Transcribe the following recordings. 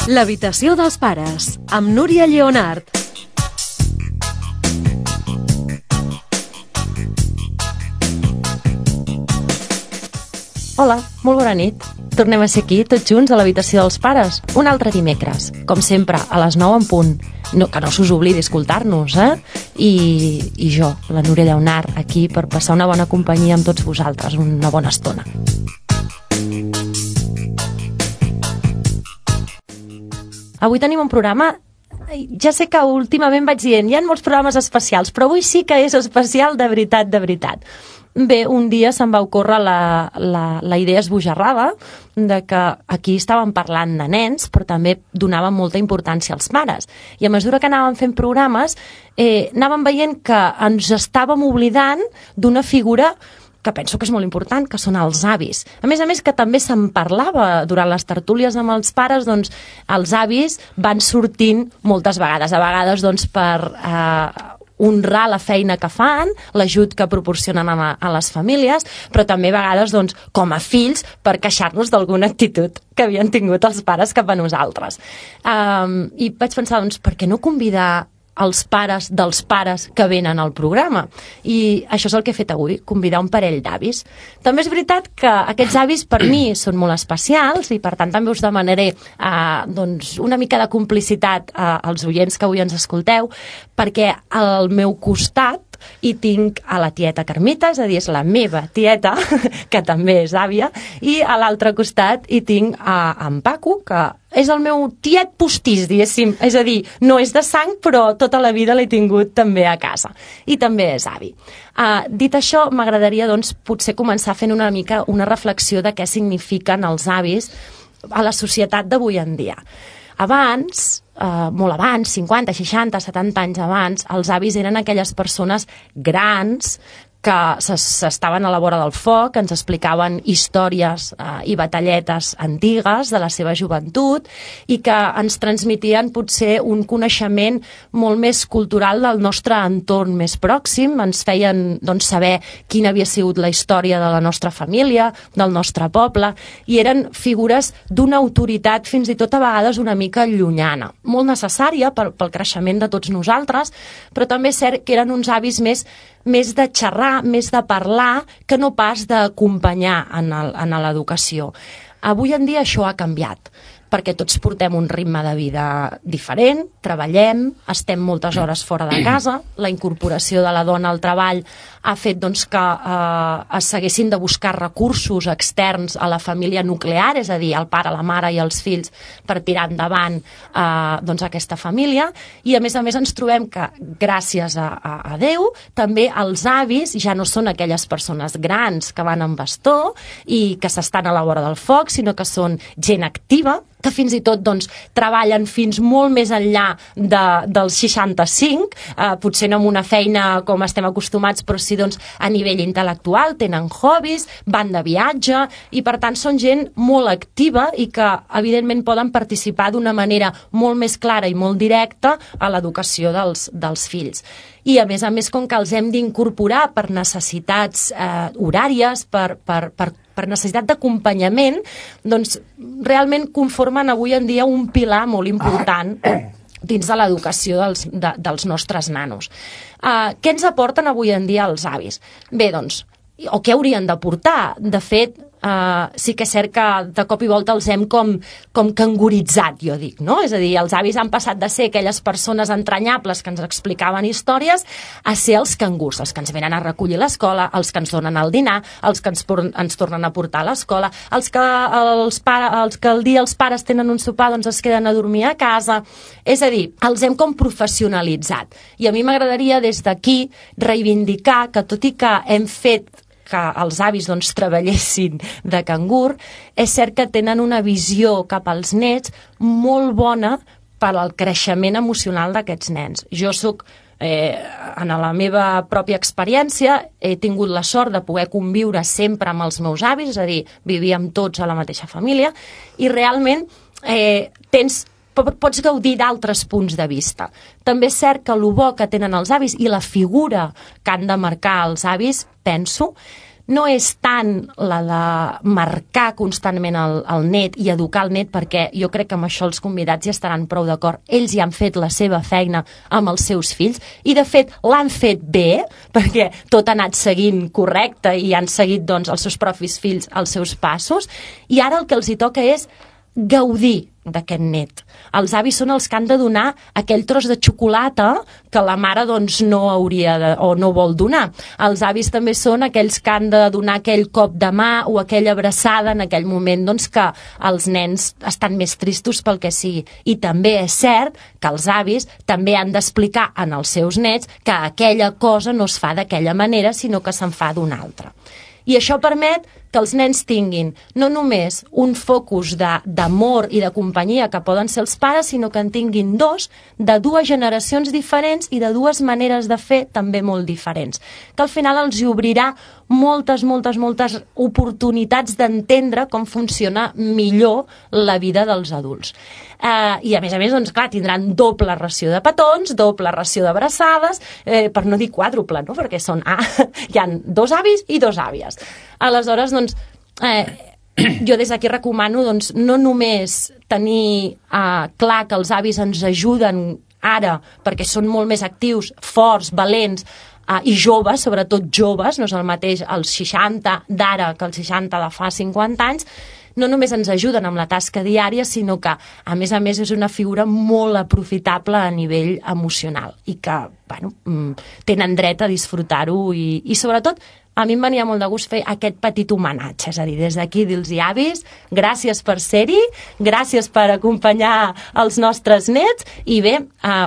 L'habitació dels pares, amb Núria Lleonart. Hola, molt bona nit. Tornem a ser aquí, tots junts, a l'habitació dels pares. Un altre dimecres, com sempre, a les 9 en punt. Que no s'us oblidi escoltar-nos, I jo, la Núria Lleonart, aquí per passar una bona companyia amb tots vosaltres, una bona estona. Avui tenim un programa. Ja sé que últimament vaig dient, hi ha molts programes especials, però avui sí que és especial de veritat, de veritat. Bé, un dia se'm va ocórrer la idea esbojarrada de que aquí estàvem parlant de nens, però també donàvem molta importància als pares. I a mesura que anàvem fent programes, anàvem veient que ens estàvem oblidant d'una figura que penso que és molt important, que són els avis. A més, que també se'n parlava durant les tertúlies amb els pares, doncs els avis van sortint moltes vegades. A vegades doncs per honrar la feina que fan, l'ajut que proporcionen a les famílies, però també a vegades doncs, com a fills per queixar-nos d'alguna actitud que havien tingut els pares cap a nosaltres. I vaig pensar, doncs, per què no convidar els pares dels pares que venen al programa? I això és el que he fet avui, convidar un parell d'avis. També és veritat que aquests avis per mi són molt especials i per tant també us demanaré una mica de complicitat als oients que avui ens escolteu, perquè al meu costat hi tinc a la tieta Carmita, és a dir, és la meva tieta, que també és àvia, i a l'altre costat hi tinc en Paco, que és el meu tiet postís, diguéssim, és a dir, no és de sang, però tota la vida l'he tingut també a casa, i també és avi. Dit això, m'agradaria, doncs, potser començar fent una mica una reflexió de què signifiquen els avis a la societat d'avui en dia. Abans, molt abans, 50, 60, 70 anys abans, els avis eren aquelles persones grans que s'estaven a la vora del foc, ens explicaven històries i batalletes antigues de la seva joventut i que ens transmetien potser un coneixement molt més cultural del nostre entorn més pròxim, ens feien doncs, saber quina havia sigut la història de la nostra família, del nostre poble, i eren figures d'una autoritat fins i tot a vegades una mica llunyana, molt necessària pel creixement de tots nosaltres, però també és cert que eren uns avis més de xerrar, més de parlar, que no pas d'acompanyar en l'educació. Avui en dia això ha canviat, perquè tots portem un ritme de vida diferent, treballem, estem moltes hores fora de casa, la incorporació de la dona al treball ha fet doncs, que s'haguessin de buscar recursos externs a la família nuclear, és a dir, el pare, la mare i els fills, per tirar endavant doncs, aquesta família, i a més ens trobem que, gràcies a Déu, també els avis ja no són aquelles persones grans que van amb bastó i que s'estan a la vora del foc, sinó que són gent activa, que fins i tot doncs, treballen fins molt més enllà dels 65, potser no amb una feina com estem acostumats, però sí doncs, a nivell intel·lectual, tenen hobbies, van de viatge, i per tant són gent molt activa i que evidentment poden participar d'una manera molt més clara i molt directa a l'educació dels fills. I a més, com que els hem d'incorporar per necessitats horàries, per necessitat d'acompanyament, doncs realment conformen avui en dia un pilar molt important dins de l'educació dels nostres nanos. Què ens aporten avui en dia els avis? Bé, doncs, o què haurien d'aportar? De fet, sí que és cert que de cop i volta els hem com canguritzat, jo dic, no? És a dir, els avis han passat de ser aquelles persones entranyables que ens explicaven històries a ser els cangurs, els que ens venen a recollir a l'escola, els que ens donen el dinar, els que ens tornen a portar a l'escola, els que el dia els pares tenen un sopar doncs es queden a dormir a casa. És a dir, els hem com professionalitzat. I a mi m'agradaria des d'aquí reivindicar que tot i que hem fet que els avis doncs, treballessin de cangur, és cert que tenen una visió cap als nets molt bona per al creixement emocional d'aquests nens. Jo soc, en la meva pròpia experiència, he tingut la sort de poder conviure sempre amb els meus avis, és a dir, vivíem tots a la mateixa família, i realment pots gaudir d'altres punts de vista. També és cert que el bo que tenen els avis i la figura que han de marcar els avis, penso, no és tant la de marcar constantment el net i educar el net, perquè jo crec que amb això els convidats ja estaran prou d'acord. Ells ja han fet la seva feina amb els seus fills i, de fet, l'han fet bé, perquè tot ha anat seguint correcte i han seguit doncs, els seus propis fills els seus passos, i ara el que els hi toca és gaudir d'aquest net. Els avis són els que han de donar aquell tros de xocolata que la mare doncs, no hauria o no vol donar. Els avis també són aquells que han de donar aquell cop de mà o aquella abraçada en aquell moment doncs, que els nens estan més tristos pel que sigui. I també és cert que els avis també han d'explicar en els seus nets que aquella cosa no es fa d'aquella manera, sinó que se'n fa d'una altra. I això permet que els nens tinguin no només un focus d'amor i de companyia que poden ser els pares, sinó que en tinguin dos de dues generacions diferents i de dues maneres de fer també molt diferents, que al final els hi obrirà moltes oportunitats d'entendre com funciona millor la vida dels adults. I a més, doncs, clar, tindran doble ració de petons, doble ració d'abraçades, per no dir quàdruple, no? Perquè hi ha 2 avis i 2 àvies. Aleshores, doncs, jo des d'aquí recomano doncs, no només tenir clar que els avis ens ajuden ara perquè són molt més actius, forts, valents i joves, sobretot joves, no és el mateix els 60 d'ara que els 60 de fa 50 anys, no només ens ajuden amb la tasca diària, sinó que, a més, és una figura molt aprofitable a nivell emocional i que, bueno, tenen dret a disfrutar-ho i sobretot, a mi em venia molt de gust fer aquest petit homenatge, és a dir, des d'aquí dir-los avis, gràcies per ser-hi, gràcies per acompanyar els nostres nets i bé,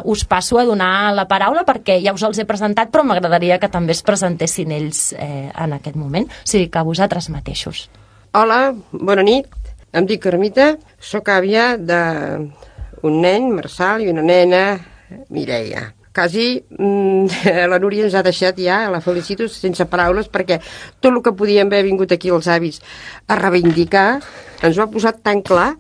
us passo a donar la paraula perquè ja us els he presentat, però m'agradaria que també es presentessin ells en aquest moment, o sigui que vosaltres mateixos. Hola, bona nit, em dic Carmita, sóc àvia d'un nen, Marçal, i una nena, Mireia. Quasi la Núria ens ha deixat ja, la felicito sense paraules, perquè tot el que podíem haver vingut aquí els avis a reivindicar ens ho ha posat tan clar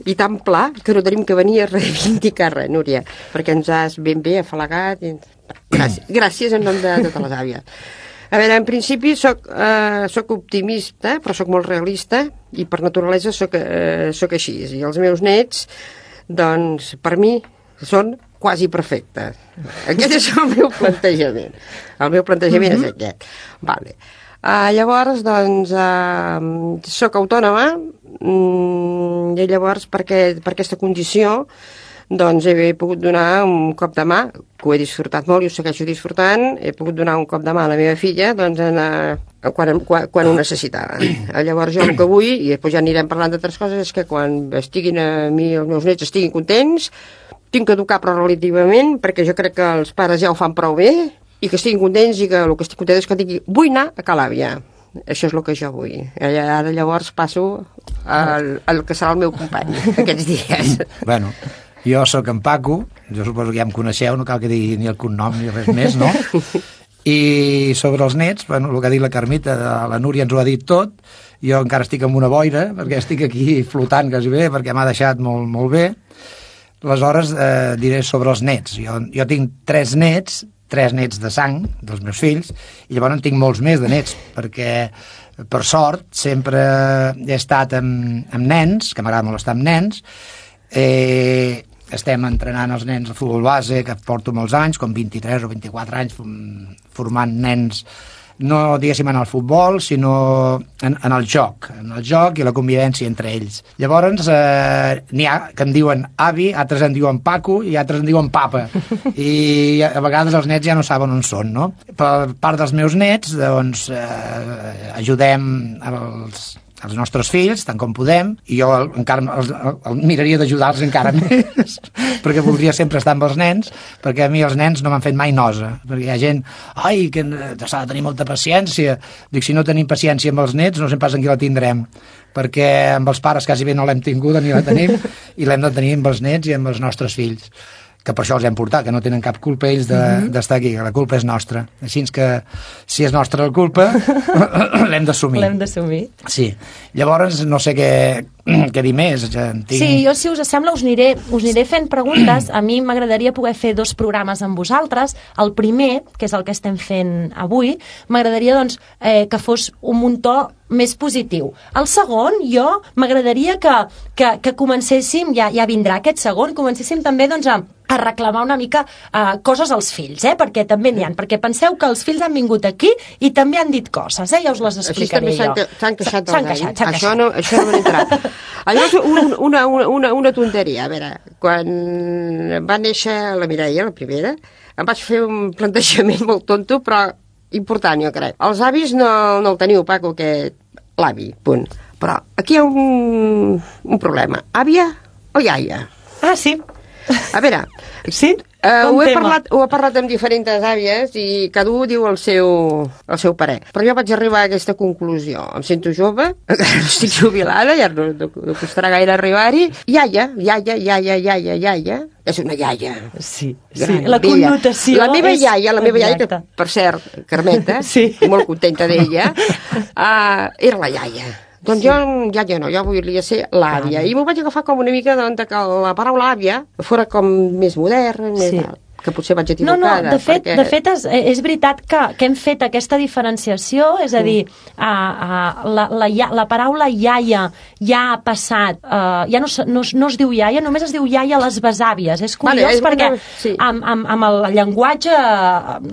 i tan pla que no tenim que venir a reivindicar res, Núria, perquè ens has ben bé afalagat. Gràcies en nom de totes les àvies. A veure, en principi soc optimista, però soc molt realista i per naturalesa soc així. I els meus nets, doncs, per mi, són quasi perfectes. Aquest és el meu plantejament. El meu plantejament és aquest. Vale. Llavors, doncs, soc autònoma i llavors per aquesta condició doncs he pogut donar un cop de mà, que ho he disfrutat molt i ho segueixo disfrutant, he pogut donar un cop de mà a la meva filla doncs, quan ho necessitava. Llavors jo el que vull, i després ja anirem parlant d'altres coses, és que quan estiguin a mi, els meus nets estiguin contents, tinc que educar però relativament, perquè jo crec que els pares ja ho fan prou bé, i que estiguin contents i que el que estic content és que digui vull anar a Calàbia. Això és el que jo vull. Ara llavors passo al que serà el meu company aquests dies. Bueno, jo sóc en Paco, jo suposo que ja em coneixeu, no cal que digui ni el cognom ni res més, no? I sobre els nets, bueno, el que ha dit la Carmita, la Núria ens ho ha dit tot, jo encara estic amb una boira, perquè estic aquí flotant quasi bé, perquè m'ha deixat molt, molt bé. Aleshores, diré sobre els nets. Jo tinc 3 nets de sang, dels meus fills, i llavors en tinc molts més de nets, perquè, per sort, sempre he estat amb nens, que m'agrada molt estar amb nens. Estem entrenant els nens a futbol base, que porto molts anys, com 23 o 24 anys, formant nens, no diguéssim en el futbol, sinó en el joc i la convivència entre ells. Llavors n'hi ha que em diuen avi, altres em diuen Paco i altres em diuen papa, i a vegades els nets ja no saben on són, no? Per part dels meus nets, doncs, ajudem els nostres fills, tant com podem, i jo encara el miraria d'ajudar-los encara més, perquè voldria sempre estar amb els nens, perquè a mi els nens no m'han fet mai nosa, perquè hi ha gent, que s'ha de tenir molta paciència. Dic, si no tenim paciència amb els nets, no sé pas en qui la tindrem, perquè amb els pares quasi bé no l'hem tinguda ni la tenim, i l'hem de tenir amb els nets i amb els nostres fills, que per això els hem portat, que no tenen cap culpa ells d'estar aquí, que la culpa és nostra. Així que, si és nostra la culpa, l'hem d'assumir. L'hem d'assumir. Sí. Llavors, no sé què què dir més. Sí, jo, si us sembla, us aniré fent preguntes. A mi m'agradaria poder fer 2 programes amb vosaltres. El primer, que és el que estem fent avui, m'agradaria doncs, que fos un to més positiu. El segon, jo m'agradaria que comencéssim, ja vindrà aquest segon, comencéssim també doncs, a reclamar una mica coses als fills, perquè també n'hi ha, perquè penseu que els fills han vingut aquí i també han dit coses, ja us les explicaré jo. S'han queixat dels anys. Això no m'ha entrat. Llavors, una tonteria. A veure, quan va néixer la Mireia, la primera, em vaig fer un plantejament molt tonto, però important, jo crec. Els avis no el teniu, Paco, l'avi, punt. Però aquí hi ha un problema. Àvia o iaia? Ah, sí. A veure, sí? Ho he parlat amb diferents àvies i cada un diu el seu parer. Però jo vaig arribar a aquesta conclusió. Em sento jove, estic jubilada, ja no costarà gaire arribar-hi. Iaia, és una iaia. Sí, la connotació. La meva iaia, que per cert, Carmeta, molt contenta d'ella, era la iaia. Doncs jo ja no, jo volia ser l'àvia. I m'ho vaig agafar com una mica que la paraula àvia fora com més modern, més que potser vaig equivocada. No, de fet és veritat que hem fet aquesta diferenciació, és a dir, la paraula iaia ja ha passat, ja no es diu iaia, només es diu iaia a les besàvies. És curiós perquè amb el llenguatge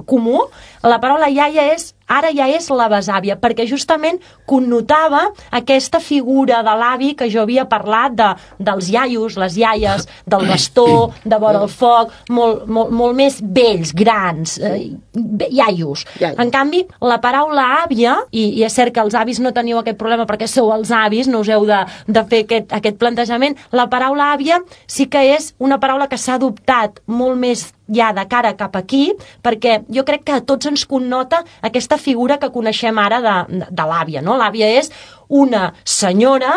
comú la paraula iaia ara ja és la besàvia, perquè justament connotava aquesta figura de l'avi que jo havia parlat dels iaios, les iaies, del bastó, de vora el foc, molt més vells, grans, iaios. En canvi, la paraula àvia, i és cert que els avis no teniu aquest problema perquè sou els avis, no us heu de fer aquest plantejament, la paraula àvia sí que és una paraula que s'ha adoptat molt més ja de cara cap aquí, perquè jo crec que a tots ens connota aquesta figura que coneixem ara de l'àvia, no? L'àvia és una senyora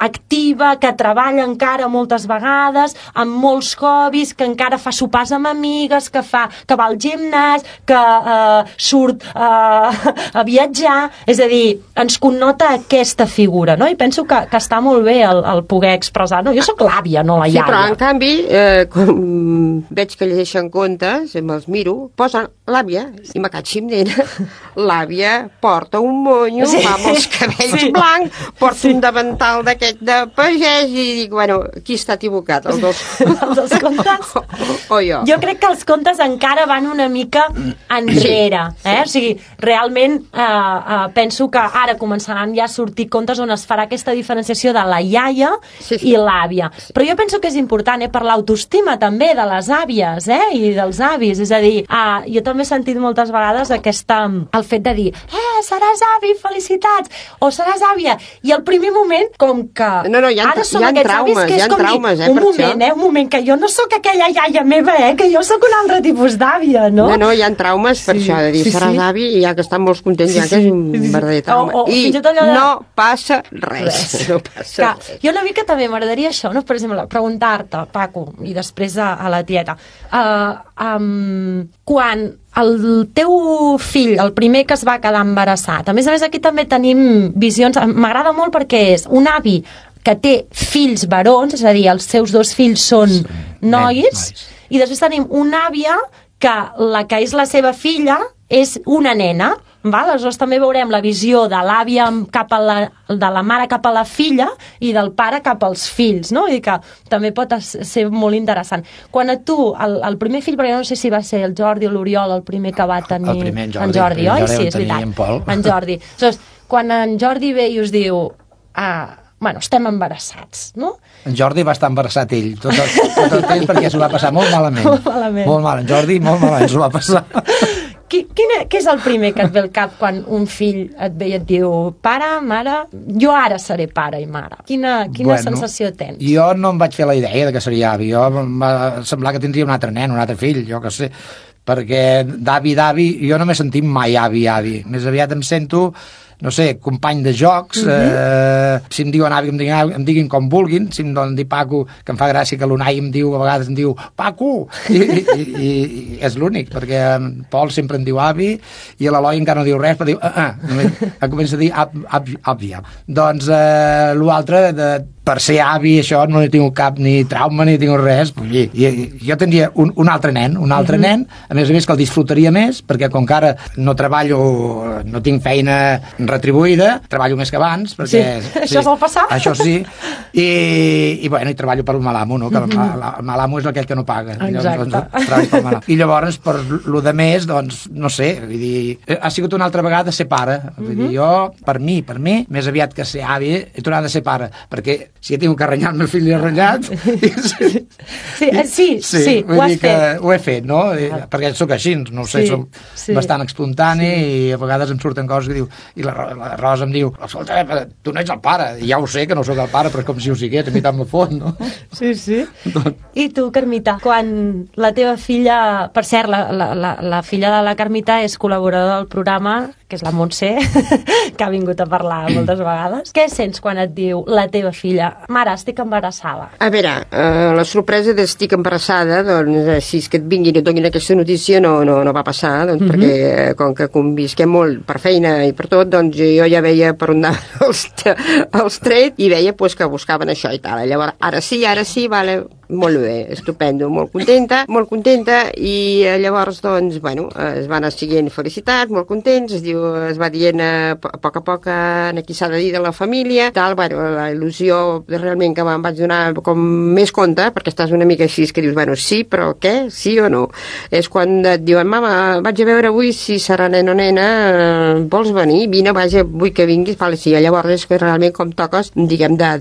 activa, que treballa encara moltes vegades, amb molts hobbies, que encara fa sopars amb amigues, que va al gimnàs, que surt a viatjar, és a dir, ens connota aquesta figura, no? I penso que està molt bé el poder expressar, no? Jo sóc l'àvia, no la iaia. Sí, però en canvi, com veig que llegeixen contes, me'ls miro, posen l'àvia, i me catxim, nena, l'àvia porta un monyo, va amb els cabells blancs, porta un davantal d'aquest de pagès i dic, bueno, qui està equivocat? Els dos contes? O jo? Jo crec que els contes encara van una mica enrere. O sigui, realment penso que ara començaran ja a sortir contes on es farà aquesta diferenciació de la iaia i l'àvia. Però jo penso que és important per l'autoestima també de les àvies i dels avis. És a dir, jo també he sentit moltes vegades el fet de dir seràs avi, felicitats, o seràs àvia. I al primer moment, com que ara som aquests avis, que és com dir, un moment, que jo no sóc aquella iaia meva, que jo sóc un altre tipus d'àvia, no? No, hi ha traumes per això, de dir, seràs avi, i ja que estan molt contents, ja que és un verdader trauma. I no passa res. Jo una mica també m'agradaria això, no? Per exemple, preguntar-te, Paco, i després a la tieta, quan el teu fill, el primer que es va quedar embarassat, a més aquí també tenim visions, m'agrada molt perquè és un avi que té fills barons, és a dir, els seus 2 fills són nois, i després tenim una àvia que la que és la seva filla és una nena, aleshores també veurem la visió de l'àvia de la mare cap a la filla i del pare cap als fills, no? I que també pot ser molt interessant. Quan a tu, el primer fill, perquè no sé si va ser el Jordi o l'Oriol el primer que va tenir... El primer en Jordi, oi? Sí, és veritat. En Jordi. Aleshores, quan en Jordi ve i us diu bueno, estem embarassats, no? En Jordi va estar embarassat ell tot el temps perquè s'ho va passar molt malament. Molt mal, en Jordi molt malament s'ho va passar. Què és el primer que et ve al cap quan un fill et ve i et diu pare, mare, jo ara seré pare i mare? Quina sensació tens? Jo no em vaig fer la idea que seria avi. Jo em va semblar que tindria un altre nen, un altre fill, jo què sé. Perquè d'avi, jo no m'he sentit mai avi. Més aviat em sento, no sé, company de jocs, si em diuen avi, em diguin com vulguin, si em donen dir Paco, que em fa gràcia que l'Unai a vegades em diu Paco, i és l'únic, perquè en Pol sempre em diu avi, i l'Eloi encara no diu res, però diu només comença a dir àvia. Doncs l'altre, per ser avi, això no he tingut cap ni trauma ni he tingut res. Jo tindria un altre nen, a més que el disfrutaria més, perquè com que ara no treballo, no tinc feina retribuïda, treballo més que abans, perquè això és el passat. Això sí, i treballo per el Malamo, no? Que el Malamo és aquell que no paga. Exacte. I llavors, per lo de més, doncs, no sé, vull dir, ha sigut una altra vegada ser pare. Vull dir, jo, per mi, més aviat que ser avi, he tornat a ser pare, perquè si he tingut que renyar el meu fill, l'he renyat. Sí, ho has fet. Ho he fet, no? Perquè sóc així, no ho sé, soc bastant espontani i a vegades em surten coses que diu, i la Rosa em diu, escolta, tu no ets el pare, i ja ho sé que no sóc el pare, però és com si ho sigués, a mi tant me fot, no? Sí. I tu, Carmita, quan la teva filla, per cert, la filla de la Carmita és col·laboradora del programa, que és la Montse, que ha vingut a parlar moltes vegades. Què sents quan et diu la teva filla, mare, estic embarassada? A veure, la sorpresa d'estic embarassada, doncs, si és que et vinguin i et donin aquesta notícia, no va passar, doncs, perquè com que convisquem molt per feina i per tot, doncs jo ja veia per on anaven els trets i veia pues, que buscaven això i tal. Llavors, ara sí, vale, molt bé, estupendo, molt contenta, i llavors, doncs, bueno, es van seguint felicitats, molt contents, es va dient a poc a poc aquí s'ha de dir de la família, tal, bueno, la il·lusió realment que me'n vaig donar com més compte, perquè estàs una mica així, que dius, bueno, sí, però què? Sí o no? És quan et diuen, mama, vaig a veure avui si serà nen o nena, vols venir? Vine, vaja, vull que vinguis, vale, sí, llavors és que realment com toques, diguem, de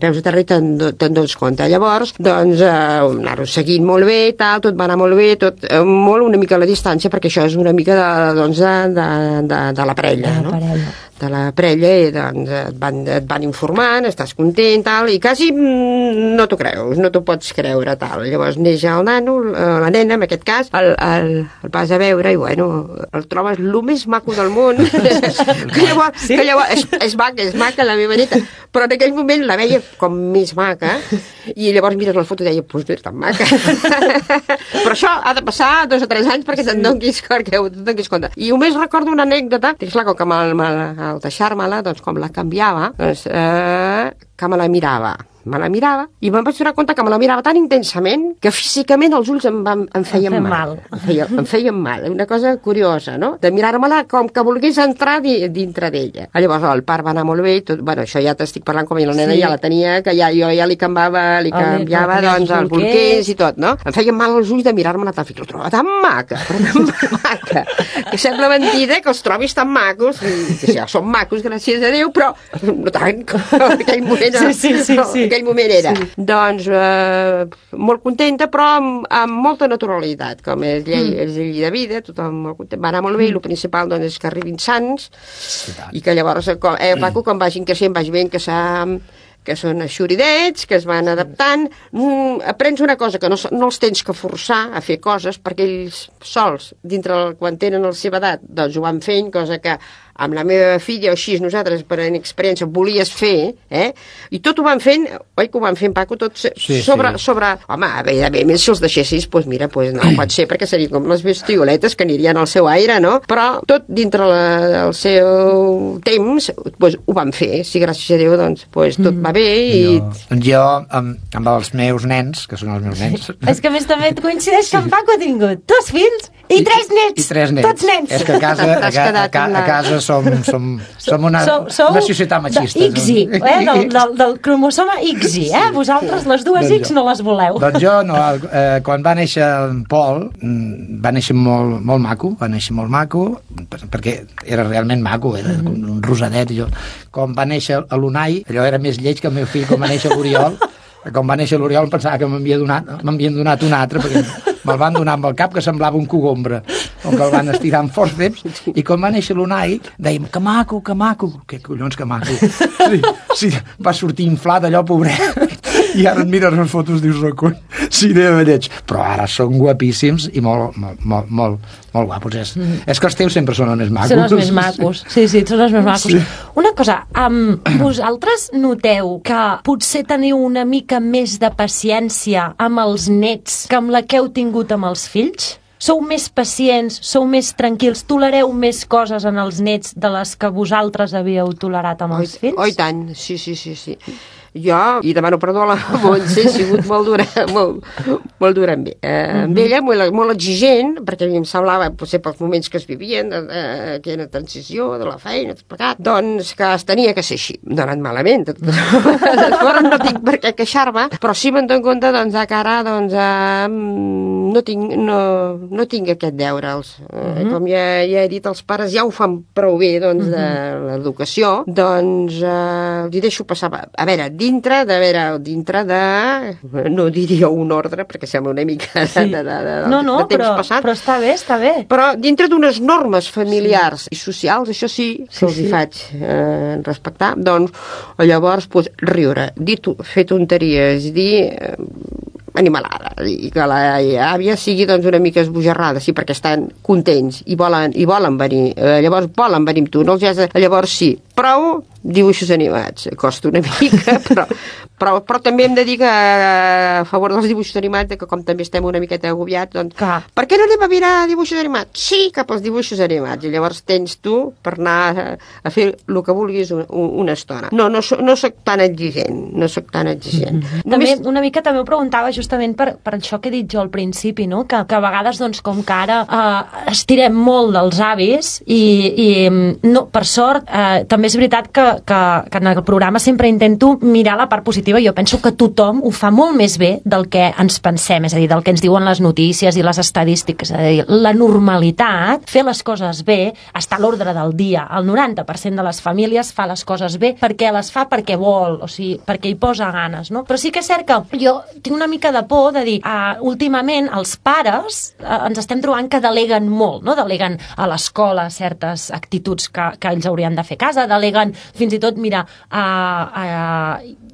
peus a terra i te'n dones compte. Llavors, doncs, anar-ho seguint molt bé, tal, tot va anar molt bé, tot molt una mica a la distància, perquè això és una mica de la parella, no? De la parella, i doncs et van informant, estàs content, tal, i quasi no t'ho creus, no t'ho pots creure, tal. Llavors neix el nano, la nena, en aquest cas, el vas a veure i, bueno, el trobes el més maco del món, que llavors és maca la meva neta, però en aquell moment la veia com més maca, i llavors mires la foto i deia, pues no és tan maca. Però això ha de passar 2 o 3 anys perquè te'n donis compte. I només recordo una anècdota, que és clar, com que al deixar-me-la, doncs com la canviava, doncs, que me la mirava i me'n vaig donar compte que me la mirava tan intensament que físicament els ulls em feien mal. Em feien mal. Una cosa curiosa, no? De mirar-me-la com que volgués entrar dintre d'ella. Llavors el part va anar molt bé i tot, bueno, això ja t'estic parlant com la nena ja la tenia, que jo ja li canviava doncs els bolquers i tot, no? Em feien mal els ulls de mirar-me-la tan fica. La trobava tan maca, que sembla mentida que els trobis tan macos, que ja són macos, gràcies a Déu, però no tant, en aquell moment aquell moment era. Sí. Doncs molt contenta, però amb molta naturalitat, com és llei de vida, tothom molt content. Va anar molt bé, i el principal doncs, és que arribin sants, i que llavors, Paco, quan vagin creixent, vagi veient que són eixuridets, que es van adaptant. Aprens una cosa, que no els tens que forçar a fer coses, perquè ells sols, quan tenen la seva edat, doncs ho van fent, cosa que amb la meva filla, o així nosaltres, per experiència, volies fer, i tot ho van fent, oi que ho van fent, Paco, tot sobre... Home, evidentment, si els deixessis, doncs mira, no pot ser, perquè serien com les bestioletes que anirien al seu aire, no? Però tot dintre el seu temps, doncs ho van fer, si gràcies a Déu, doncs tot va bé i... Jo, amb els meus nens, que són els meus nens... És que a més també et coincideix que en Paco ha tingut 2 fills i 3 nets. Tots nens. És que a casa som una societat machista. XY, del cromosoma XY, vosaltres les dues X no les voleu. Doncs jo no, quan va néixer en Pol, va néixer molt maco, perquè era realment maco, era un rosadet. Quan va néixer l'Unai, allò era més lleig que el meu fill, quan va néixer l'Oriol, quan va néixer l'Oriol em pensava que m'havien donat un altre, perquè me'l van donar amb el cap que semblava un cogombre, com que el van estirar amb forceps, i quan va néixer l'Unai dèiem, que maco, què collons que maco. Sí, va sortir inflat allò, pobret. I ara et mires les fotos, dius, recull, sí, de lleig. Però ara són guapíssims i molt guapos. És que els teus sempre són els més macos. Són els més macos, sí, són els més macos. Sí. Una cosa, vosaltres noteu que potser teniu una mica més de paciència amb els nets que amb la que heu tingut amb els fills? Sou més pacients, sou més tranquils, tolereu més coses en els nets de les que vosaltres havíeu tolerat amb els fills? Oh, i tant, sí. Jo, i demano perdó a la Montse, he sigut molt dura amb ella, molt exigent, perquè a mi em semblava, potser pels moments que es vivien, aquella transició de la feina, tot plegat, doncs que es tenia que ser així. No ha anat malament, fora no tinc per què queixar-me, però sí me'n dono compte, doncs, que ara, no tinc aquest deure. Com ja he dit, els pares ja ho fan prou bé, doncs, de l'educació, doncs, li deixo passar. A veure, dintre de, no diria un ordre, perquè sembla una mica de temps passat. Però està bé. Però dintre d'unes normes familiars i socials, això sí que els hi faig respectar, doncs, llavors, riure, fer tonteries, dir animalada, i que l'àvia sigui doncs una mica esbojarrada, sí, perquè estan contents i volen venir, llavors volen venir amb tu, no els has de... Llavors sí, prou dibuixos animats, costa una mica, però també hem de dir que a favor dels dibuixos animats, que com també estem una miqueta agobiats, doncs, per què no anem a mirar dibuixos animats? Sí, cap als dibuixos animats, i llavors tens tu per anar a fer el que vulguis una estona. No soc tan exigent, També, una mica també ho preguntava justament per això que he dit jo al principi, no? Que a vegades, doncs, com que ara estirem molt dels avis i no, per sort, també és veritat que en el programa sempre intento mirar la part positiva. Jo penso que tothom ho fa molt més bé del que ens pensem, és a dir, del que ens diuen les notícies i les estadístiques. És a dir, la normalitat, fer les coses bé, està a l'ordre del dia. El 90% de les famílies fa les coses bé perquè les fa perquè vol, o sigui, perquè hi posa ganes, no? Però sí que és cert que jo tinc una mica de por de dir, últimament els pares ens estem trobant que deleguen molt, no? Deleguen a l'escola certes actituds que ells haurien de fer a casa, deleguen fins i tot, mira,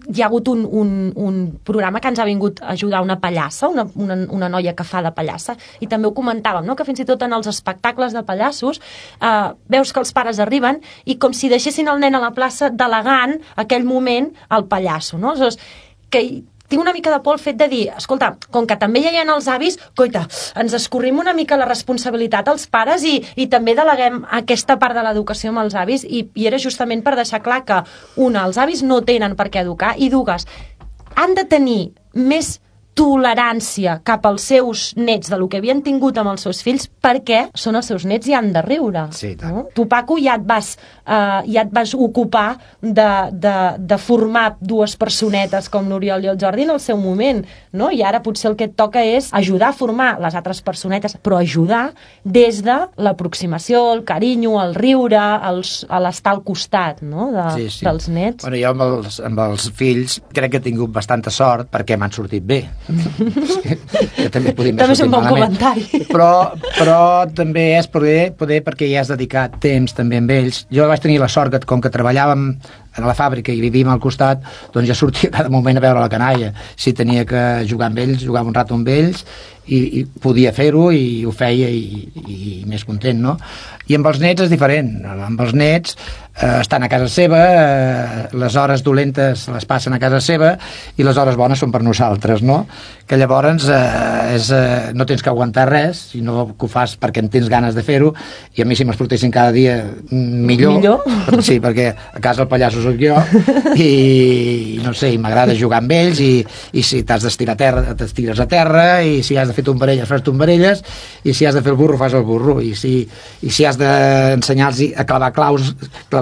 hi ha hagut un programa que ens ha vingut a ajudar una pallassa, una noia que fa de pallassa, i també ho comentàvem, no? Que fins i tot en els espectacles de pallassos veus que els pares arriben i com si deixessin el nen a la plaça delegant aquell moment al pallasso, no? Aleshores, que tinc una mica de por el fet de dir, escolta, com que també hi ha els avis, coita, ens escorrim una mica la responsabilitat als pares i també deleguem aquesta part de l'educació amb els avis i era justament per deixar clar que, una, els avis no tenen per què educar i dues, han de tenir més tolerància cap als seus nets del que havien tingut amb els seus fills perquè són els seus nets i han de riure. Sí, no? Tu, Paco, ja et vas ocupar de formar dues personetes com l'Oriol i el Jordi en el seu moment, no? I ara potser el que et toca és ajudar a formar les altres personetes, però ajudar des de l'aproximació, el carinyo, el riure, l'estar al costat, no? Dels nets. Bueno, jo amb els fills crec que he tingut bastanta sort perquè m'han sortit bé. Que també és un bon comentari, però també és poder perquè ja has dedicat temps també amb ells. Jo vaig tenir la sort que com que treballàvem a la fàbrica i vivíem al costat, doncs ja sortia cada moment a veure la canalla. Si tenia que jugar amb ells, jugava un rato amb ells i podia fer-ho i ho feia i més content, no? I amb els nets és diferent. Amb els nets estan a casa seva, les hores dolentes les passen a casa seva i les hores bones són per nosaltres, no? Que llavors no tens que aguantar res, sinó que ho fas perquè en tens ganes de fer-ho, i a mi si m'exportessin cada dia millor? Sí, perquè a casa el pallasso soc jo i no sé, m'agrada jugar amb ells i si t'has d'estirar a terra t'estires a terra, i si has de fer tombarelles fas tombarelles, i si has de fer el burro fas el burro, i si has d'ensenyar-los a clavar claus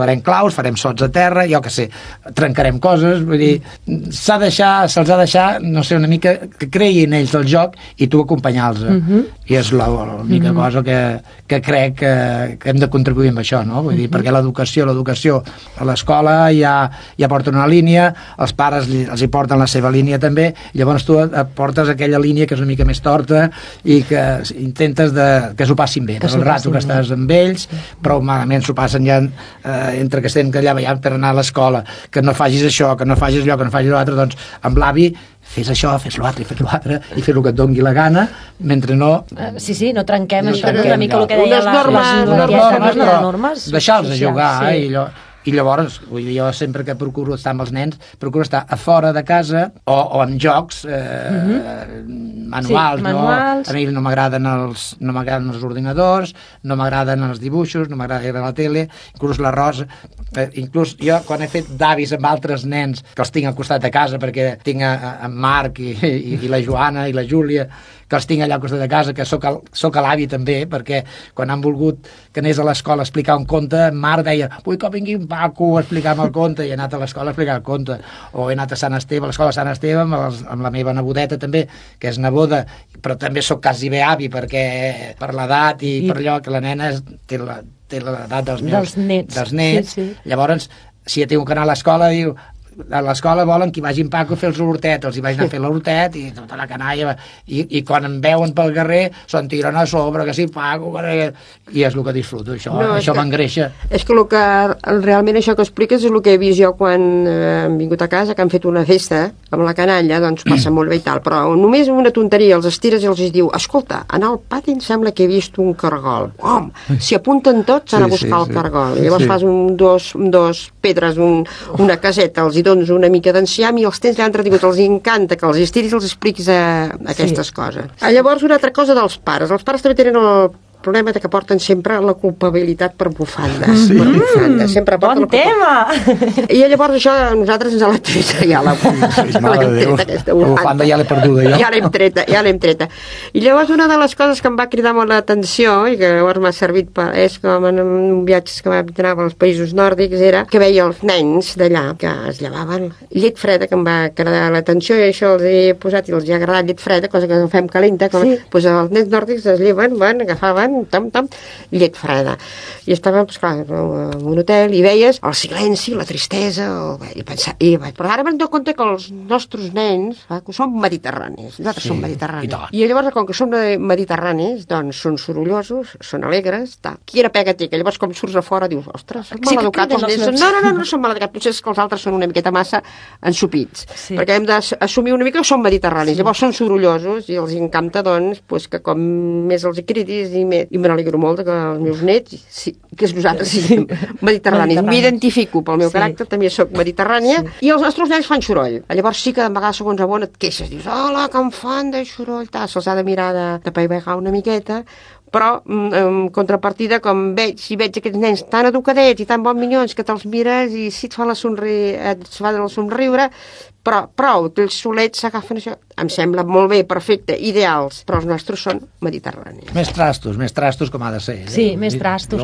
clavarem claus, farem sots a terra, jo que sé, trencarem coses, vull dir, se'ls ha de deixar, no sé, una mica que creguin ells el joc i tu acompanyar-los. I és l'única cosa que crec que hem de contribuir amb això, no? Vull dir, perquè l'educació a l'escola ja porten una línia, els pares els hi porten la seva línia també, llavors tu portes aquella línia que és una mica més torta porta i que intentes que s'ho passin bé, el rato que estàs amb ells, però malament s'ho passen ja entre que estem allà ballant per anar a l'escola, que no facis això, que no facis allò, que no facis l'altre, doncs amb l'avi fes això, fes l'altre i fes l'altre i fes el que et doni la gana, mentre no... Sí, no trenquem això, una mica el que deia les normes. Deixar-los jugar i llavors, jo sempre que procuro estar amb els nens, procuro estar a fora de casa o en jocs manuals. A mi no m'agraden els ordinadors, no m'agraden els dibuixos, no m'agrada la tele, inclús la Rosa, inclús jo quan he fet d'avis amb altres nens que els tinc al costat de casa, perquè tinc en Marc i la Joana i la Júlia, que els tinc allà al costat de casa, que soc l'avi també, perquè quan han volgut que anés a l'escola a explicar un conte, en Marc deia, vull que vingui un Paco a explicar-me el conte, i he anat a l'escola a explicar el conte, o he anat a Sant Esteve, a l'escola de Sant Esteve, amb la meva nebodeta també, que és neboda, però també sóc quasi bé avi, perquè per l'edat i per allò que la nena té l'edat dels nets. Sí. Llavors, si ja tinc que anar a l'escola, diu, a l'escola volen que hi vagi en Paco a fer els hortet, els hi vaig anar a fer l'hortet i tota la canalla, i quan em veuen pel carrer se'n tiren a sobre, que sí, Paco, i és el que disfruto, això m'engreixa. És que realment això que expliques és el que he vist jo quan hem vingut a casa, que han fet una festa amb la canalla, doncs passa molt bé i tal, però només una tonteria, els estires i els diu, escolta, en el pati em sembla que he vist un cargol. S'hi apunten tots a buscar el cargol. Llavors fas dos pedres, una caseta, els hi dones una mica d'enciam i els tens ja entretingut, els encanta que els estiris i els expliquis aquestes coses. Llavors, una altra cosa dels pares. Els pares també tenen el problema que porten sempre la culpabilitat per bufandes. Per bufandes. Sempre porten bon tema! I llavors això a nosaltres ens l'ha treta ja la bufanda ja l'he perduda jo. Ja l'hem treta. I llavors una de les coses que em va cridar molt l'atenció i que llavors m'ha servit és com en viatges que anava als països nòrdics era que veia els nens d'allà que es llevaven llet freda, que em va cridar l'atenció, i això els he posat i els ha agradat llet freda, cosa que fem calenta, doncs els nens nòrdics es lleven, agafaven llet freda, i estàvem clar, en un hotel i veies el silenci, la tristesa però ara m'he donat compte que els nostres nens són mediterranis, nosaltres som mediterranis i llavors com que som mediterranis doncs són sorollosos, són alegres quina pega té, que llavors com surts a fora dius, ostres, són maleducats els nens, no són maleducats, potser és que els altres són una miqueta massa ensupits, perquè hem d'assumir una mica que són mediterranis, llavors són sorollosos i els encanta doncs que com més els cridis i me n'alegro molt que els meus nets, que nosaltres siguem mediterranis. M'identifico pel meu caràcter, també sóc mediterrània, i els nostres nens fan soroll. Llavors sí que de vegades segons a bon et queixes, dius, hola, que em fan de soroll, se'ls ha de mirar de paivegar una miqueta, però en contrapartida, si veig aquests nens tan educadets i tan bons minyons que te'ls mires i si et fa el somriure, però prou, els solets s'agafen això. Em sembla molt bé, perfecte, ideals, però els nostres són mediterranis. Més trastos com ha de ser. Sí, més trastos.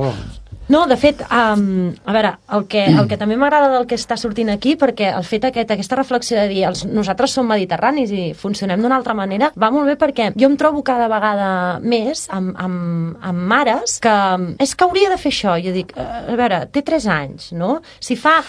No, de fet, a veure, el que també m'agrada del que està sortint aquí, perquè el fet aquesta reflexió de dir nosaltres som mediterranis i funcionem d'una altra manera, va molt bé perquè jo em trobo cada vegada més amb mares que és que hauria de fer això. Jo dic, a veure, té 3 anys, no? Si fa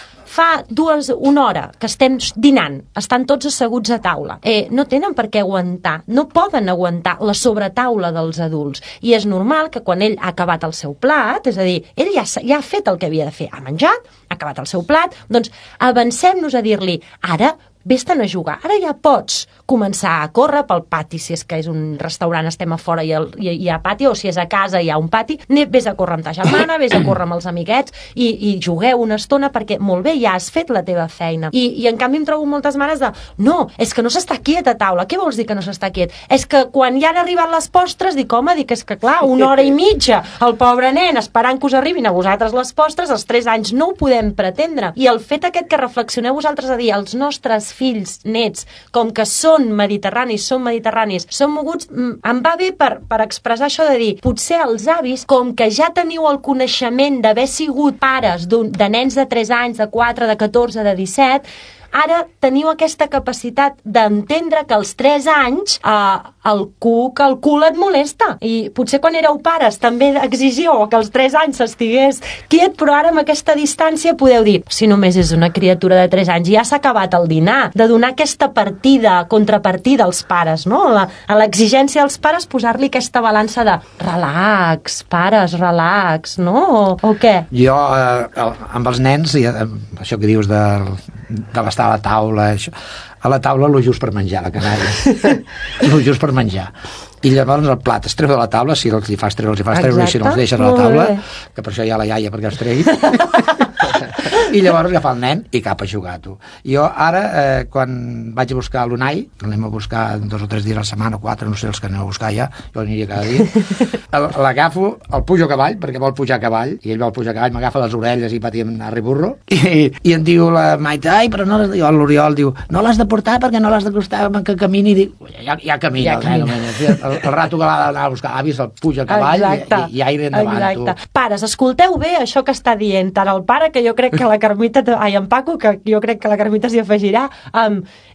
una hora que estem dinant, estan tots asseguts a taula, no tenen per què aguantar, no poden aguantar la sobretaula dels adults. I és normal que quan ell ha acabat el seu plat, és a dir, ell ja ha fet el que havia de fer, ha menjat, ha acabat el seu plat, doncs avancem-nos a dir-li, ara vés-te'n a jugar, ara ja pots començar a córrer pel pati, si és que és un restaurant, estem a fora i hi ha pati, o si és a casa hi ha un pati, vés a córrer amb ta germana, vés a córrer amb els amiguets i jugueu una estona perquè molt bé, ja has fet la teva feina. I en canvi em trobo moltes mares de, no, és que no s'està quiet a taula. Què vols dir que no s'està quiet? És que quan ja han arribat les postres, dic, home, és que clar, 1 hora i mitja, el pobre nen esperant que us arribin a vosaltres les postres, als 3 anys no ho podem pretendre. I el fet aquest que reflexioneu vosaltres a dir, els nostres fills, nets, com que són mediterranis, són moguts, em va bé per expressar això de dir, potser els avis, com que ja teniu el coneixement d'haver sigut pares de nens de 3 anys, de 4, de 14, de 17, ara teniu aquesta capacitat d'entendre que als 3 anys el cul et molesta. I potser quan éreu pares també exigíeu que als 3 anys s'estigués quiet, però ara amb aquesta distància podeu dir, si només és una criatura de 3 anys, ja s'ha acabat el dinar, de donar aquesta contrapartida als pares, no? A l'exigència dels pares posar-li aquesta balança de relax, pares, relax, no? O què? Jo, amb els nens, això que dius de l'estar a la taula, això, a la taula lo just per menjar, la canalla. Lo just per menjar. I llavors el plat es treu de la taula, si els hi fas treure, i si no els deixes a la taula, que per això hi ha la iaia perquè els tregui. I llavors agafar el nen i cap a jugar, tu. Jo ara, quan vaig a buscar l'Unai, l'anem a buscar 2 o 3 dies a la setmana, o 4, no sé els que aneu a buscar ja, jo aniria cada dia, l'agafo, el pujo a cavall, perquè vol pujar a cavall, i ell vol pujar a cavall, m'agafa les orelles i patim a riburro, i em diu la Maite, ai, però no l'Oriol diu, no l'has de portar perquè no l'has d'acostar que camini, i dic, ja camina, el rato que l'ha d'anar a buscar, ha vist el puja a cavall i aire endavant, tu. Pares, escolteu bé això que està dient tant el pare, que jo crec que la Carmita, en Paco, que jo crec que la Carmita s'hi afegirà,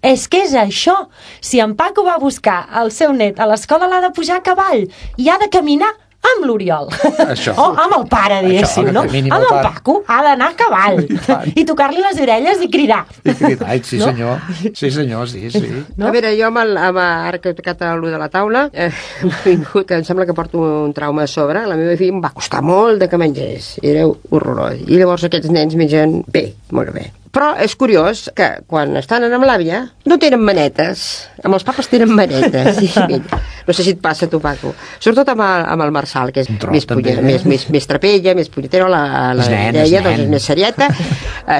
és que és això, si en Paco va buscar el seu net a l'escola l'ha de pujar a cavall i ha de caminar amb l'Oriol. O amb el pare, diguéssim, no? Amb el Paco ha d'anar a cavall i tocar-li les orelles i cridar. Sí, senyor. Sí, senyor, sí. A veure, jo ara que he tocat allò de la taula, que em sembla que porto un trauma a sobre, la meva filla em va costar molt de que mengés. Era horrorós. I llavors aquests nens mengen bé, molt bé. Però és curiós que quan estan amb l'àvia no tenen manetes. Amb els papes tenen manetes. No sé si et passa a tu, Paco. Sobretot amb el Marçal, que és més trapella, més punyetero, la Mireia, doncs és més serieta.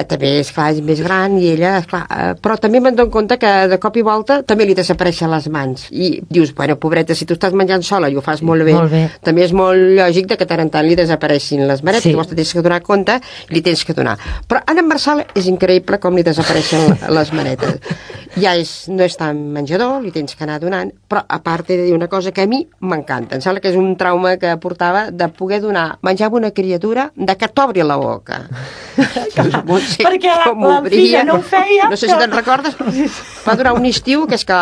També, esclar, és més gran i ella, esclar, però també me'n dono compte que de cop i volta també li desapareixen les mans. I dius, bueno, pobreta, si tu estàs menjant sola i ho fas molt bé, també és molt lògic que tant en tant li desapareixin les manetes. Llavors te tens que donar compte i li tens que donar. Però en Marçal és increïble com li desapareixen les manetes. Ja no és tan menjador, li tens que anar donant, però a part he de dir una cosa que a mi m'encanta. Em sembla que és un trauma que portava de poder donar menjar a una criatura de que t'obri la boca. Perquè la filla no ho feia. No sé si te'n recordes. Va durar un estiu que és que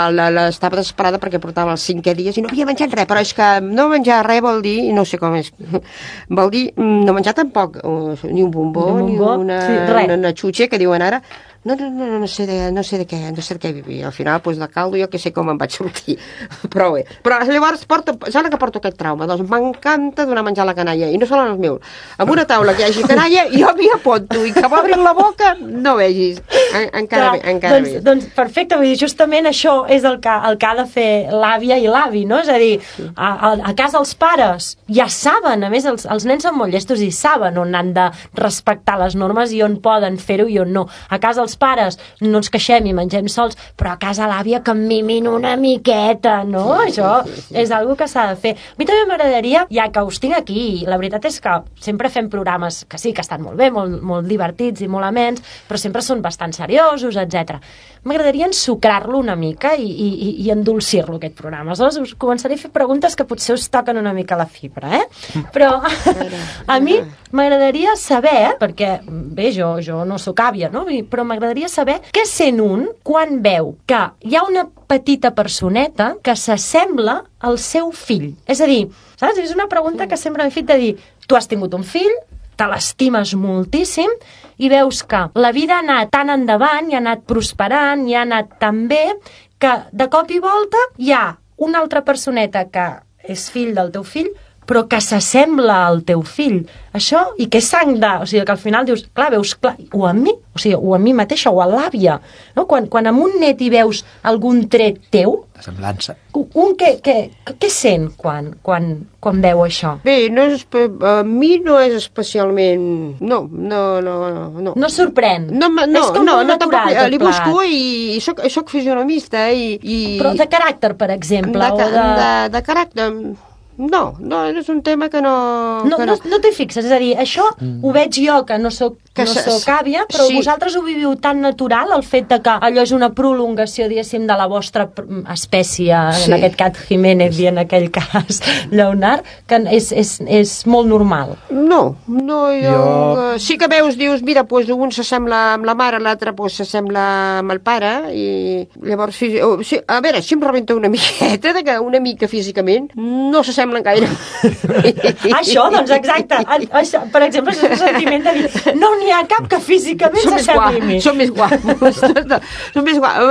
estava desesperada perquè portava els 5è dies i no havia menjat res, però és que no menjar res vol dir, no sé com és, vol dir no menjar tampoc ni un bombó, ni una xutxa que diuen ara. No sé de què vivia. Al final, doncs, de caldo, jo que sé com em vaig sortir. Però bé. Però llavors, sembla que porto aquest trauma. Doncs m'encanta donar menjar a la canalla. I no són els meus. Amb una taula que hi hagi canalla, jo m'hi apunto. I que m'obrin la boca, no vegis. Encara bé. Doncs perfecte. Vull dir, justament això és el que ha de fer l'àvia i l'avi, no? És a dir, a casa els pares ja saben, a més, els nens són molt llestos i saben on han de respectar les normes i on poden fer-ho i on no. A casa els pares no ens queixem i mengem sols, però a casa l'àvia que em mimin una miqueta, no? Això és algo que s'ha de fer. A mi també m'agradaria, ja que us tinc aquí, la veritat és que sempre fem programes que sí, que estan molt bé, molt divertits i molt amens, però sempre són bastant seriosos, etc. M'agradaria ensucrar-lo una mica i endolcir-lo, aquest programa. Aleshores us començaré a fer preguntes que potser us toquen una mica la fibra, Però a mi m'agradaria saber, perquè bé, jo no sóc àvia, no? Però m'agradaria saber què sent un quan veu que hi ha una petita personeta que s'assembla al seu fill. És a dir, saps? És una pregunta que sempre m'he fet de dir, tu has tingut un fill, te l'estimes moltíssim i veus que la vida ha anat tan endavant i ha anat prosperant i ha anat tan bé que de cop i volta hi ha una altra personeta que és fill del teu fill però que s'assembla al teu fill. Això, i que és sang de... O sigui, que al final dius, clar, veus, clar, o a mi, o sigui, o a mi mateixa, o a l'àvia, no? Quan amb un net hi veus algun tret teu... La semblança. Què sent quan veu això? Bé, a mi no és especialment... No. No sorprèn? No, tampoc. Li busco i soc fisionomista i... Però de caràcter, per exemple, de caràcter... No, és un tema que no... No t'hi fixes, és a dir, això ho veig jo, que no soc àvia, però vosaltres ho viviu tan natural, el fet de que allò és una prolongació, diguéssim, de la vostra espècie, en aquest cas Jiménez i en aquell cas Lleonard, que és molt normal. No, jo... Sí que dius, mira, doncs un s'assembla amb la mare, l'altre s'assembla amb el pare, i llavors, a veure, si em rebenta una miqueta, que una mica físicament no s'assemblen gaire. Això, doncs, exacte. Per exemple, és un sentiment de dir, no n'hi ha cap que físicament s'assembli a mi. Són més guapos. Són més guapos.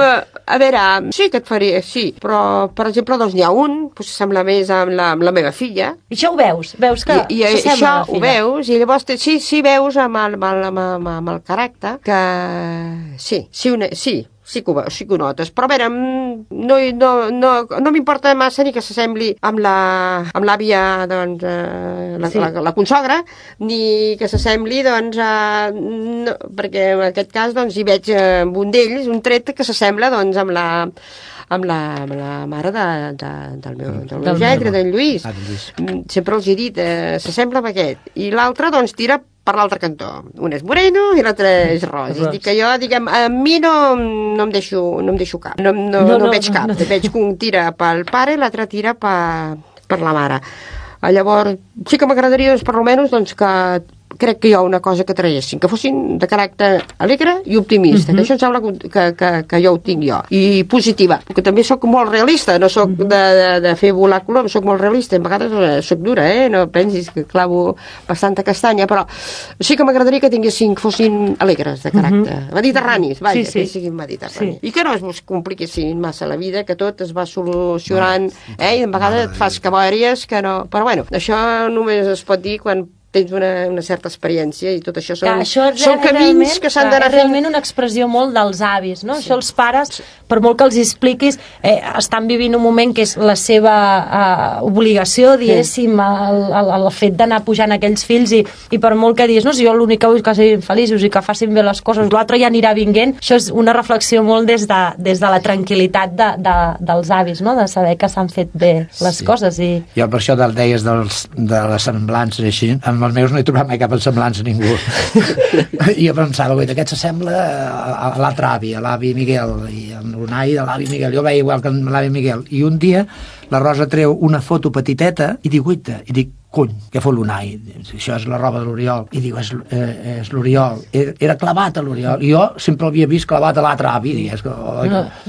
A veure, sí que et faria, sí, però, per exemple, doncs n'hi ha un que s'assembla més amb la meva filla. I això ho veus? Veus que s'assembla a la filla? Això ho veus, i llavors sí veus amb el caràcter que sí que ho notes, però a veure, no m'importa massa ni que s'assembli amb l'àvia, doncs, la consogra, ni que s'assembli, doncs, no, perquè en aquest cas, doncs, hi veig amb un d'ells un tret que s'assembla, doncs, amb la mare del meu gendre, d'en Lluís. Sempre els he dit, s'assembla amb aquest. I l'altre, doncs, tira per l'altre cantó. Un és moreno i l'altre és ros. És dir, que jo, diguem, a mi no em deixo cap. No veig cap. Veig que un tira pel pare i l'altre tira per la mare. Llavors, sí que m'agradaria, doncs, per almenys, doncs, que crec que hi ha una cosa que traguessin, que fossin de caràcter alegre i optimista, que això em sembla que jo ho tinc jo, i positiva, perquè també sóc molt realista, no sóc de fer volar color, sóc molt realista, a vegades sóc dura, no pensis que clavo bastanta castanya, però sí que m'agradaria que tinguessin, que fossin alegres de caràcter, mediterranis, vaja, que siguin mediterranis, i que no es compliquessin massa la vida, que tot es va solucionant, i a vegades et fas cabòries que no, però bueno, això només es pot dir quan tens una certa experiència i tot això són camins que s'han d'anar fent. És realment una expressió molt dels avis, no? Sí. Això els pares, per molt que els expliquis, estan vivint un moment que és la seva obligació, diguéssim, el fet d'anar pujant aquells fills i per molt que diguis, no, si jo l'únic que vull que siguin feliços i que facin bé les coses, l'altre ja anirà vinguent, això és una reflexió molt des de la tranquil·litat dels avis, no? De saber que s'han fet bé les coses. Jo per això deies de les semblances així, amb els meus no he trobat mai cap semblança a ningú. I jo pensava, aquest s'assembla a l'altre avi, a l'avi Miguel, i amb l'Unai de l'avi Miguel. Jo veia igual que l'avi Miguel. I un dia la Rosa treu una foto petiteta i dic, cony, què fa l'Unai? Això és la roba de l'Oriol. I diu, és l'Oriol. Era clavat a l'Oriol. I jo sempre l'havia vist clavat a l'altre avi. I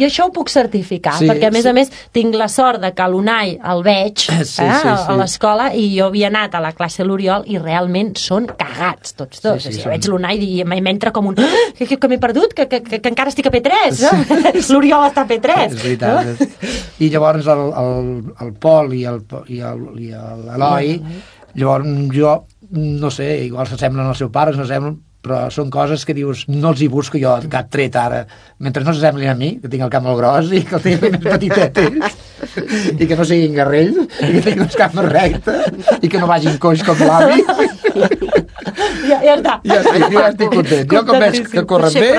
això ho puc certificar, perquè a més tinc la sort de que l'Unai el veig a l'escola i jo havia anat a la classe de l'Oriol i realment són cagats tots dos. Jo veig l'Unai i m'entra com un que m'he perdut, que encara estic a P3. L'Oriol està a P3. És veritat. I llavors el Pol i l'Eloi, llavors jo no sé, igual s'assemblen als seus pares, però són coses que dius, no els hi busco jo cap tret ara, mentre no s'assemblin a mi, que tinc el cap molt gros i que el tinc més petitet i que no siguin garrells i que tinguin els caps més rectes i que no vagin coix com l'avi. Ja està. Ja estic content. Jo com veig que corren bé,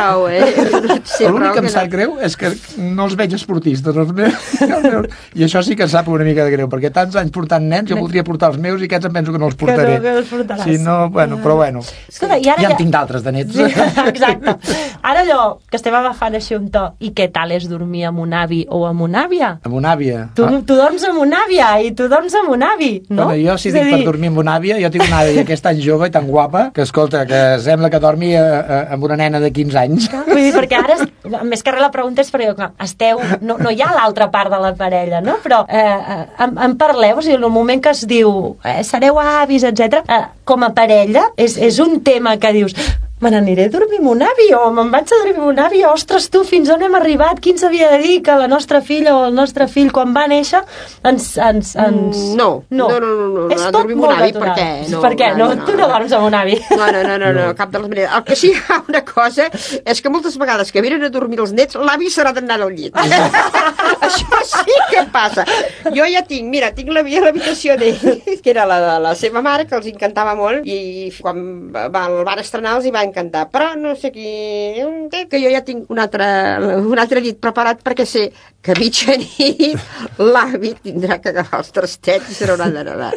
l'únic que em sap greu és que no els veig esportistes. I això sí que em sap una mica de greu, perquè tants anys portant nens, jo voldria portar els meus i aquests em penso que no els portaré. Si no, però bueno. Escolta, ja en tinc d'altres de nets. Exacte. Ara allò que estem agafant així un to, i què tal és dormir amb un avi o amb una àvia? Amb una àvia. Tu dorms amb una àvia i tu dorms amb un avi, no? Bueno, jo si dic per dormir amb una àvia, jo tinc una àvia que és tan jove i tan guapa que, escolta, que sembla que dormi amb una nena de 15 anys. Vull dir, perquè ara, més que res la pregunta és perquè esteu, no hi ha l'altra part de la parella, no? Però en parleu, o sigui, en el moment que es diu sereu avis, etc. Com a parella, és un tema que dius me n'aniré a dormir amb un avi o me'n vaig a dormir amb un avi, ostres tu, fins on hem arribat, qui ens havia de dir que la nostra filla o el nostre fill quan va néixer No, és a tot dormir amb molt un avi, natural. Per què? No, tu no dorms amb un avi. No, cap de les maneres. El que sí hi ha una cosa és que moltes vegades que venen a dormir els nets, l'avi serà d'anar al llit. Això sí que passa. Jo ja tinc l'habitació d'ell, que era la de la seva mare, que els encantava molt, i quan el van estrenar els hi va encantar. Però no sé qui... que jo ja tinc un altre llit preparat perquè sé que a mitjanit l'avi tindrà que agafar els trastets i se n'haurà d'anar.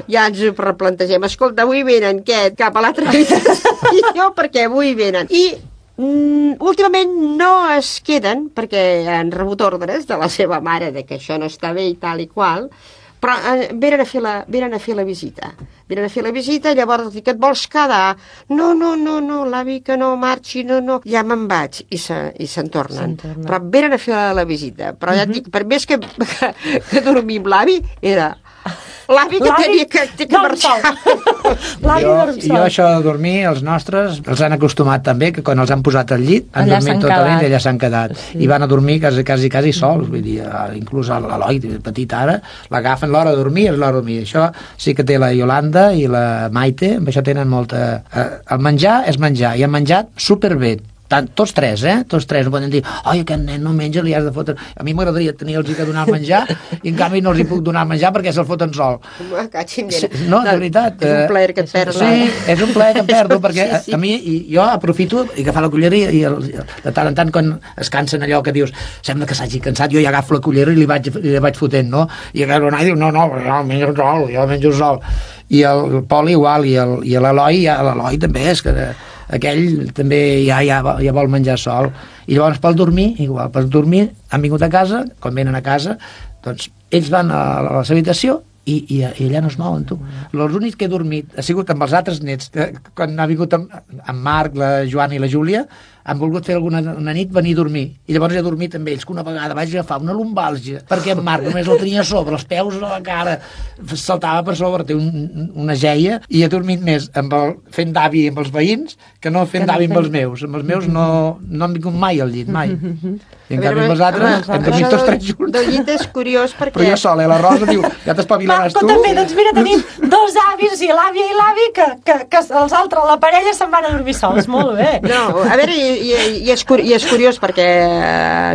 Ja ens ho replantegem. Escolta, avui venen cap a l'altra habitació perquè avui venen. I últimament no es queden perquè han rebut ordres de la seva mare de que això no està bé i tal i qual, però venen a fer la visita. Venen a fer la visita, llavors dic, et vols quedar? No, l'avi que no marxi, no, ja me'n vaig. I se'n tornen. Però venen a fer la visita. Però ja et dic, per més que dormir amb l'avi, era... L'avi que tenia que marxar. Jo això de dormir, els nostres, els han acostumat també, que quan els han posat al llit, han dormit tota la nit i allà s'han quedat. I van a dormir quasi sols, vull dir, inclús l'Eloi, petit ara, l'agafen l'hora de dormir, és l'hora de dormir. Això sí que té la Iolanda i la Maite, amb això tenen molta... El menjar és menjar, i han menjat superbé. Tots tres, no poden dir, oi, aquest nen no menja, li has de fotre... A mi m'agradaria tenir-los que donar menjar i en canvi no els hi puc donar menjar perquè se'l foten sol. No, de veritat. És un plaer que et perds. Sí, és un plaer que em perdo perquè a mi, jo aprofito i agafar la cullera i de tant en tant quan es cansen allò que dius, sembla que s'hagi cansat, jo ja agafo la cullera i li vaig fotent, no? I el noi diu, no, jo menjo sol. I el Pol igual, i l'Eloi també és que... aquell també ja vol menjar sol. I llavors pel dormir, igual, per dormir han vingut a casa, quan venen a casa, doncs ells van a la seva habitació i allà no es mouen, tu. L'únic que he dormit ha sigut amb els altres nets, quan ha vingut amb Marc, la Joana i la Júlia, han volgut fer una nit venir a dormir, i llavors he dormit amb ells, que una vegada vaig agafar una lumbàlgia, perquè en Marc només el tenia sobre els peus a la cara, saltava per sobre, té una geia, i he dormit més fent d'avi amb els veïns que no fent d'avi amb els meus. Amb els meus no han vingut mai al llit, mai. I en canvi amb els altres hem dormit tots tres junts. Del llit és curiós perquè... Però jo sola, la Rosa diu, ja t'espavilaràs tu. Però també, doncs mira, tenim dos avis, i l'àvia i l'avi, que els altres, la parella, se'n van a dormir sols. Molt bé. No, a veure, i és curiós perquè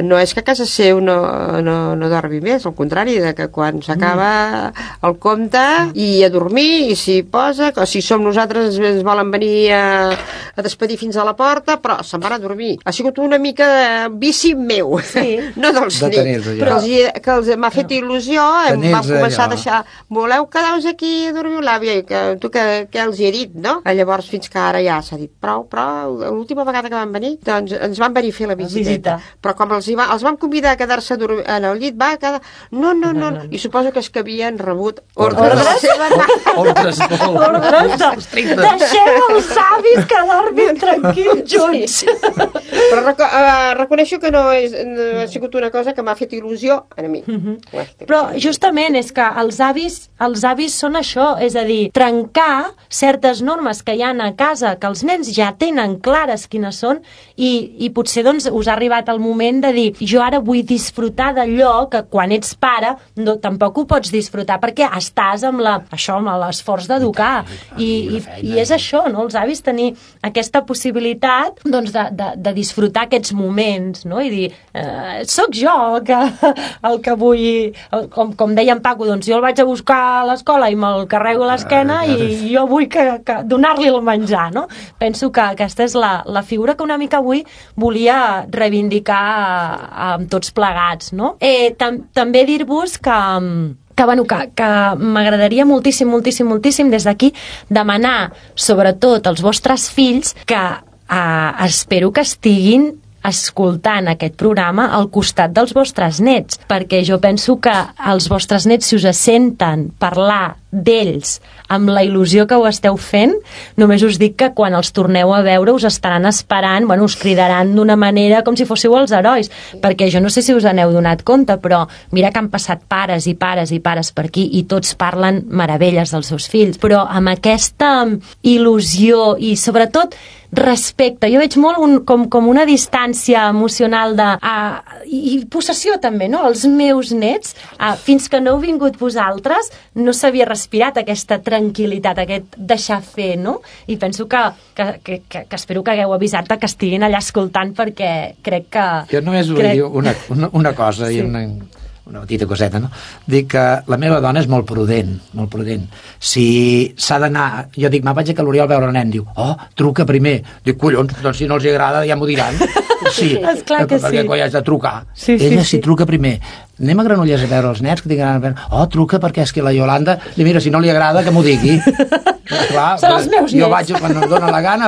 no és que a casa seu no dormi més, al contrari, de que quan s'acaba el conte i a dormir, i s'hi posa, o si som nosaltres ens volen venir a despedir fins a la porta, però se'n van a dormir. Ha sigut una mica de vici meu, no dels nits, però que m'ha fet il·lusió, vam començar a deixar, voleu quedar-vos aquí a dormir l'àvia, tu què els hi he dit, no? Llavors fins que ara ja s'ha dit prou, però l'última vegada que van venir, doncs ens van venir a fer la visita. Però com els vam convidar a quedar-se en el llit, va quedar... No, i suposo que és que havien rebut ordres de la seva mare. Ordres. Deixeu els avis que dormin tranquils junts. Però reconeixo que no ha sigut una cosa que m'ha fet il·lusió a mi. Però justament és que els avis són això, és a dir, trencar certes normes que hi ha a casa, que els nens ja tenen clares quines són, i potser doncs us ha arribat el moment de dir, jo ara vull disfrutar d'allò que quan ets pare tampoc ho pots disfrutar perquè estàs amb l'esforç d'educar, i és això, no? Els avis tenir aquesta possibilitat doncs de disfrutar aquests moments, no? I dir, sóc jo el que vull, com deia en Paco, doncs jo el vaig a buscar a l'escola i me'l carrego a l'esquena i jo vull que donar-li el menjar, no? Penso que aquesta és la figura que una mica avui volia reivindicar amb tots plegats, no? També dir-vos que m'agradaria moltíssim des d'aquí demanar, sobretot als vostres fills, que espero que estiguin escoltant aquest programa al costat dels vostres nets, perquè jo penso que els vostres nets, si us senten parlar d'ells amb la il·lusió que ho esteu fent, només us dic que quan els torneu a veure us estaran esperant, us cridaran d'una manera com si fóssiu els herois, perquè jo no sé si us n'heu donat compte, però mira que han passat pares i pares i pares per aquí i tots parlen meravelles dels seus fills, però amb aquesta il·lusió i sobretot respecte. Jo veig molt com una distància emocional de i possessió també, no? Els meus nets, fins que no heu vingut vosaltres, no s'havia respirat aquesta tranquil·litat, aquest deixar fer, no? I penso que espero que hagueu avisat que estiguin allà escoltant, perquè crec que... Jo només vull dir una cosa, sí. I una petita coseta, no? Dic que la meva dona és molt prudent, molt prudent. Si s'ha d'anar... Jo dic, vaig a L'Oriol a veure el nen. Diu, truca primer. Dic, collons, doncs si no els agrada ja m'ho diran. Sí, esclar que perquè quan has de trucar. Sí, Ella si truca primer. Anem a Granollers a veure els nens que tinguin ganes de veure. Truca perquè és que la Iolanda... Mira, si no li agrada, que m'ho digui. Clar, són els meus nets. Jo vaig quan em dona la gana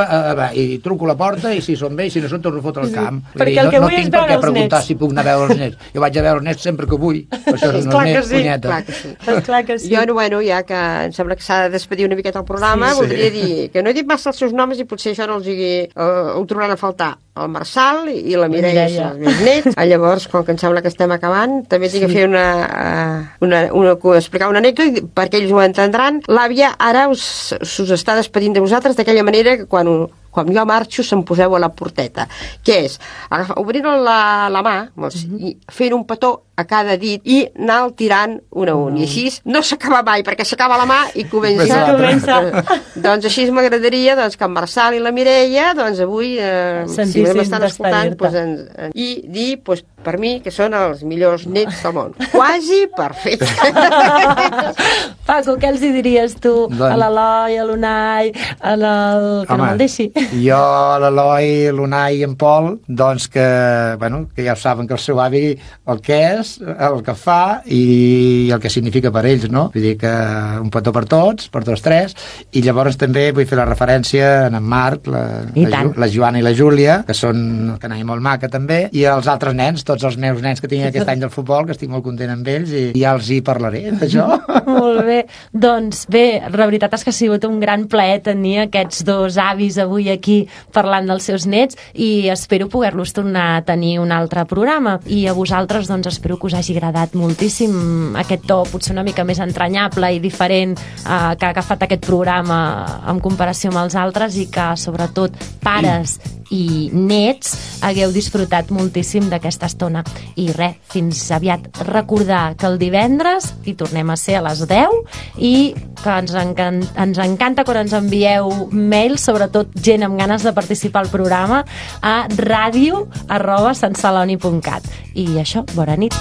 i truco a la porta i si són bé i si no són torno a fotre al camp. Perquè el que vull és veure els nets. No tinc per què preguntar si puc anar a veure els nets. Jo vaig a veure els nets sempre que vull. Això és una punyeta. Clar que sí. Jo, bueno, ja que em sembla que s'ha de despedir una miqueta el programa, voldria dir que no he dit massa els seus noms i potser això no els ho trobaran a faltar. El Marçal i la Mireia són els meus nets. Llavors, com que em sembla que estem acabant, també tinc que fer explicar una anècdota perquè ells ho entendran. L'àvia ara us està despedint de vosaltres d'aquella manera que quan jo marxo se'm poseu a la porteta, que és obrint la mà i fent un petó a cada dit i anar tirant un a un. I així no s'acaba mai, perquè s'acaba la mà i comença. Doncs així m'agradaria que en Marçal i la Mireia avui, si m'estan escoltant, i dir, per mi, que són els millors nets del món. Quasi perfecte. Paco, què els hi diries tu a l'Eloi, a l'Unai, que no me'l deixi? Jo, l'Eloi, l'Unai i en Pol, doncs que ja saben que el seu avi el que és, el que fa i el que significa per ells, no? Vull dir que un petó per tots tres, i llavors també vull fer la referència a en Marc, la Joana i la Júlia, que són una canalla molt maca també, i els altres nens, tots els meus nens que tinc aquest any del futbol, que estic molt content amb ells, i ja els hi parlaré d'això. Molt bé. Doncs bé, la veritat és que ha sigut un gran plaer tenir aquests dos avis avui aquí parlant dels seus nets i espero poder-los tornar a tenir un altre programa. I a vosaltres, doncs, espero que us hagi agradat moltíssim aquest to, potser una mica més entranyable i diferent que ha agafat aquest programa en comparació amb els altres i que, sobretot, pares i nets hagueu disfrutat moltíssim d'aquesta estona. I res, fins aviat. Recordar que el divendres hi tornem a ser a les 10 i que ens encanta quan ens envieu mails, sobretot gent amb ganes de participar al programa, a radio@santceloni.cat. I això, bona nit.